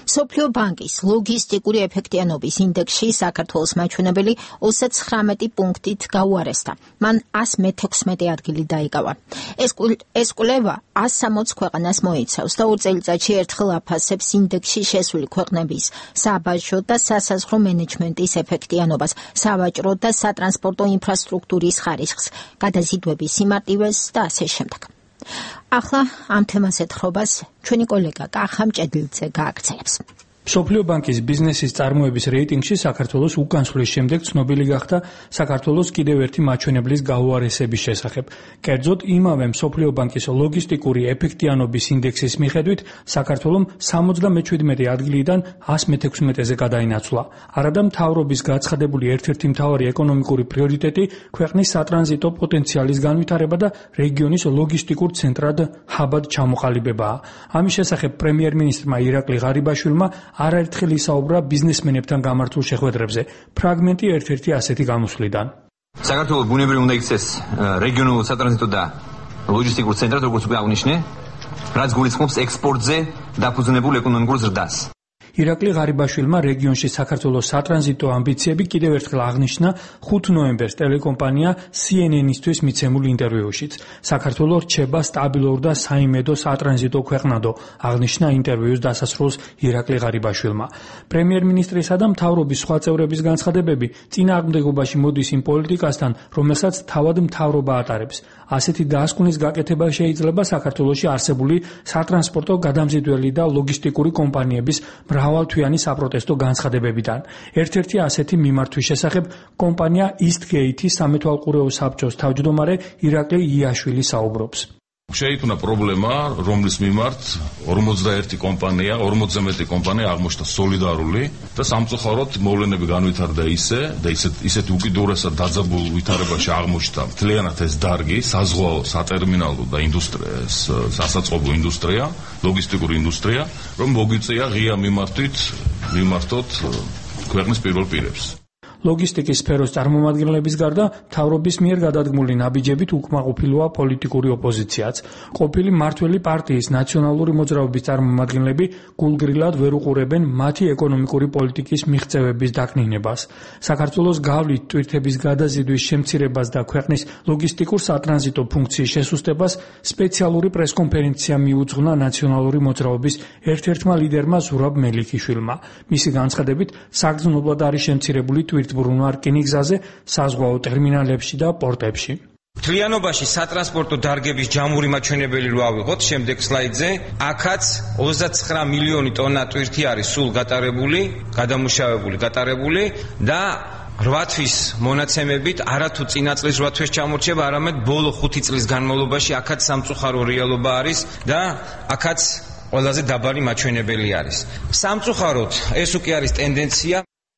მსოფლიო ბანკის ლოგისტიკური ეფექტიანობის ინდექსში საქართველოს მაჩვენებელი 39 პუნქტით გაუარესდა. მან 116 ადგილი დაიკავა. ეს კვლევა 160 ქვეყანას მოიცავს და 2 წელიწადში ერთხელ აფასებს ინდექსში შესული ქვეყნების საბაჟო და სასაზღვრო მენეჯმენტის ეფექტიანობას, სავაჭრო და სატრანსპორტო ინფრასტრუქტურის ხარისხს, გადაზიდვების სიმარტივეს და ასე შემდეგ. ახლა ამ თემას ეთხრობას ჩვენი კოლეგა კახა მჭედლიძე გააგრძელებს. მსოფლიო ბანკის ბიზნესის წარმოების რეიტინგში საქართველოს უკანასკნელის შემდეგ ცნობილი გახდა საქართველოს კიდევ ერთი მაჩვენებლის გაუარესების შესახებ. კერძოდ, იმავე მსოფლიო ბანკის ლოგისტიკური ეფექტიანობის ინდექსის მიხედვით საქართველოს 77 ადგილიდან 116-ზე გადაინაცვლა. არადა მთავრობის გაცხადებული ერთ-ერთი მთავარი ეკონომიკური პრიორიტეტი ქვეყნის სატრანზიტო პოტენციალის განვითარება და რეგიონის ლოგისტიკურ ცენტრად ჰაბად ჩამოყალიბებაა. ამის შესახებ პრემიერ-მინისტრმა ირაკლი ღარიბაშვილმა არაერთხელ ისაუბრა ბიზნესმენებთან გამართულ შეხვედრებზე. ფრაგმენტი ერთ-ერთი ასეთი გამოსვლიდან. საქართველოს ბუნებრივი უნდა იქცეს რეგიონულ სატრანზიტო და ლოჯისტიკურ ცენტრად, როგორც უკვე აღნიშნე, რაც გულისხმობს ექსპორტზე დაფუძნებულ ეკონომიკურ ზრდას. ირაკლი ღარიბაშვილმა რეგიონში საქართველოს სატრანზიტო ამბიციები კიდევ ერთხელ აღნიშნა 5 ნოემბერს ტელეკომპანია CNN-ისთვის მიცემულ ინტერვიუშიც. საქართველოს რჩება სტაბილურ და საიმედო სატრანზიტო ქვეყნადო, აღნიშნა ინტერვიუს დასასრულს ირაკლი ღარიბაშვილმა. პრემიერ-მინისტრისა და მთავრობის სხვა წევრების განცხადებები წინააღმდეგობაში მოდის იმ პოლიტიკასთან, რომელსაც თავად მთავრობა ატარებს. ასეთი დაასკვნის გაკეთება შეიძლება საქართველოში არსებული სატრანსპორტო გადამზიდველი და ლოგისტიკური კომპანიების მრავალთვიანი საპროტესტო განცხადებებიდან. ერთ-ერთი ასეთი მიმართვის შესახებ კომპანია Eastgate-ის სამეთვალყურეო საბჭოს თავმჯდომარე ირაკლი იაშვილი საუბრობს. შეიქმნა პრობლემა, რომლის მიმართ 41 კომპანია, 40-ზე მეტი კომპანია აღმოჩნდა სოლიდარული და სამწუხაროდ მოვლენები განვითარდა ისეთ უკიდურესად დაძაბულ ვითარებაში აღმოჩნდა მთლიანად ეს დარგი, საზღვაო, სატერმინალო და სასაწყობო ინდუსტრია, ლოგისტიკური ინდუსტრია, რომ მოგვიწია ღია მიმართოთ ქვეყნის პირველ პირებს. ლოგისტიკის სფეროს წარმომადგენლების გარდა მთავრობის მიერ გადადგმული ნაბიჯებით უკმაყოფილოა პოლიტიკური ოპოზიციაც. ყოფილი მმართველი პარტიის ნაციონალური მოძრაობის წარმომადგენლები გულგრილად ვერ უყურებენ მათი ეკონომიკური პოლიტიკის მიღწევების დაკნინებას. საქართველოს გავლით ტვირთების გადაზიდვის შემცირებას და ქვეყნის ლოგისტიკურ სატრანზიტო ფუნქციის შესუსტებას სპეციალური პრესკონფერენცია მიუძღვნა ნაციონალური მოძრაობის ერთ-ერთმა ლიდერმა ზურაბ მელიქიშვილმა. მისი განცხადებით, საგრძნობლად არის შემცირებული ტვირთბრუნვა რკინიგზაზე, საზღვაო ტერმინალებში და პორტებში. მთლიანობაში სატრანსპორტო დარგების ჯამური მაჩვენებელი რო ავიღოთ შემდეგ სლაიდზე, აქაც 29 მილიონი ტონა ტვირთი არის სულ გადამუშავებული და 8 თვის მონაცემებით არათუ წინა წლის 8 თვის ჩამორჩება, არამედ ბოლო 5 წლის განმავლობაში აქაც სამწუხარო რეალობა არის და აქაც ყველაზე დაბალი მაჩვენებელი არის. სამწუხაროდ ეს უკვე არის ტენდენცია.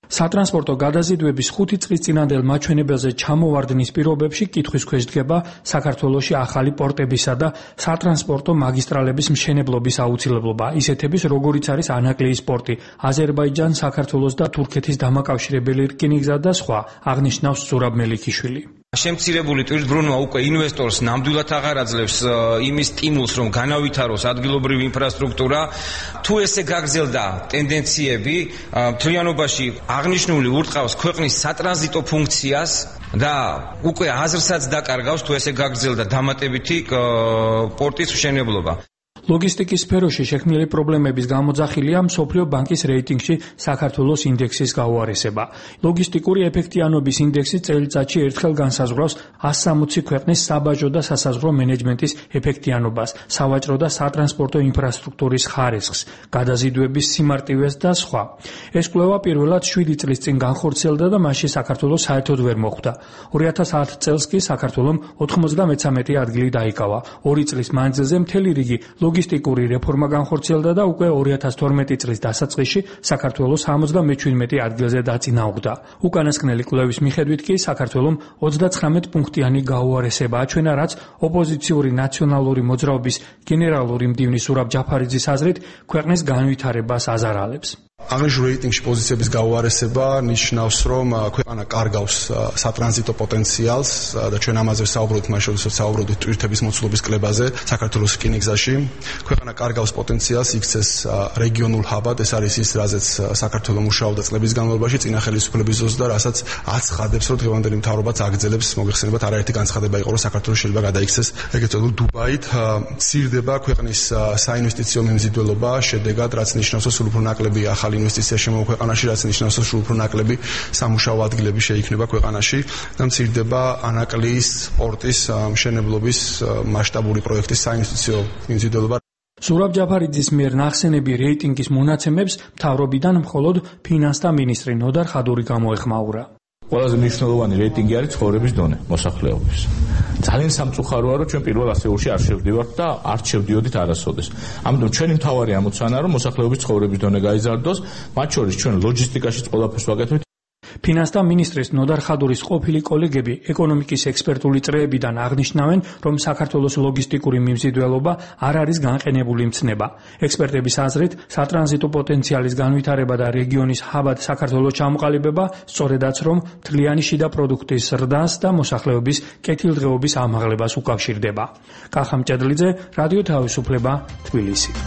სატრანსპორტო გადაზიდვების 5 წლის წინანდელ მაჩვენებელზე ჩამოვარდნის პირობებში კითხვის ქვეშ დგება საქართველოში ახალი პორტებისა და სატრანსპორტო მაგისტრალების მშენებლობის აუცილებლობა, ისეთების როგორიც არის ანაკლიის პორტი, აზერბაიჯან, საქართველოს და თურქეთის დამაკავშირებელი რკინიგზა და სხვა, აღნიშნავს ზურაბ მელიქიშვილი. შემცირებული ტვირთბრუნვა უკვე ინვესტორს ნამდვილად აღარ აძლევს იმის სტიმულს, რომ განავითაროს ადგილობრივი ინფრასტრუქტურა. თუ ესე გაგრძელდა ტენდენციები, მთლიანობაში აღნიშნული ურტყავს ქვეყნის სატრანზიტო ფუნქციას და უკვე აზრსაც დაკარგავს, თუ ესე გაგრძელდა დამატებითი პორტის მშენებლობა. ლოგისტიკის სფეროში შექმნილი პრობლემების გამოძახილია მსოფლიო ბანკის რეიტინგში საქართველოს ინდექსის გაუარესება. ლოგისტიკური ეფექტიანობის ინდექსი წელიწადში ერთხელ განსაზღვრავს 160 ქვეყნის საბაჟო და სასაზღვრო მენეჯმენტის ეფექტიანობას, სავაჭრო და სატრანსპორტო ინფრასტრუქტურის ხარისხს, გადაზიდვების სიმარტივეს და სხვა. ეს კვლევა პირველად 7 წლის წინ განხორციელდა და მასში საქართველოს საერთოდ ვერ მოხვდა. 2010 წელს კი საქართველოს 93 ადგილი დაიკავა. 2 წლის მანძილზე მთელი რიგი ლოგისტიკური რეფორმა განხორციელდა და უკვე 2012 წლის დასაწყისში საქართველოს 77 ადგილზე დაწინაურდა. უკანასკნელი კვლევის მიხედვით კი საქართველოს 39 პუნქტიანი გაუარესება აჩვენა, რაც ოპოზიციური ნაციონალური მოძრაობის გენერალური მდივნის ზურაბ ჯაფარიძის აზრით ქვეყნის განვითარებას აზარალებს. აღნიშნულ რეიტინგში პოზიციების გაუარესება ნიშნავს, რომ ქვეყანა კარგავს სატრანზიტო პოტენციალს და ჩვენ ამაზე საუბრობთ, მას შორისაც საუბრობთ ტვირთების მოცულობის კლებაზე საქართველოს რკინიგზაში. ქვეყანა კარგავს პოტენციალს, იქცეს რეგიონულ ჰაბად, ეს არის ის, რაზეც საქართველოს მუშაობდა წლების განმავლობაში წინა ხელისუფლების დროს და რასაც აცხადებს, რომ დღევანდელი მთავრობაც აგრძელებს, მოგეხსენებათ, არაერთი განცხადება იყო, რომ საქართველოს შეიძლება გადაიქცეს ეგრეთ წოდებული დუბაით. მცირდება ქვეყნის საინვესტიციო მიმზიდველობა, შედეგად, რაც ნიშნავს, რომ სულ უფრო ნაკლები ახალი ინვესტიცია შემოვა ქვეყანაში, რაც ნიშნავს, რომ სულ უფრო ნაკლები სამუშაო ადგილები შეიქმნება ქვეყანაში და მცირდება ანაკლიის პორტის მშენებლობის მასშტაბური პროექტის საინვესტიციო მიმზიდველობა. ზურაბ ჯაფარიძის მიერ ნახსენები რეიტინგის მონაცემებს მთავრობიდან მხოლოდ ფინანსთა მინისტრი ნოდარ ხადური გამოეხმაურა. ყველაზე მნიშვნელოვანი რეიტინგი არის ცხოვრების დონე მოსახლეობის. ძალიან სამწუხაროა, რომ ჩვენ პირველ ასეულში არ შევდივართ და არ შევდიოდით არასოდეს. ამიტომ ჩვენი მთავარი ამოცანაა, რომ მოსახლეობის ცხოვრების დონე გაიზარდოს, მათ შორის ჩვენ ლოჯისტიკაშიც ყველაფერს ვაკეთებთ. ფინანსთა მინისტრის ნოდარ ხადურის ყოფილი კოლეგები ეკონომიკის ექსპერტული წრეებიდან აღნიშნავენ, რომ საქართველოს ლოგისტიკური მიმზიდველობა არ არის განყენებული მცნება. ექსპერტების აზრით, სატრანზიტო პოტენციალის განვითარება და რეგიონის ჰაბად საქართველოს ჩამოყალიბება სწორედაც რომ მთლიანი შიდა პროდუქტის ზრდას და მოსახლეობის კეთილდღეობის ამაღლებას უკავშირდება. კახა მჭედლიძე, რადიო თავისუფლება, თბილისი.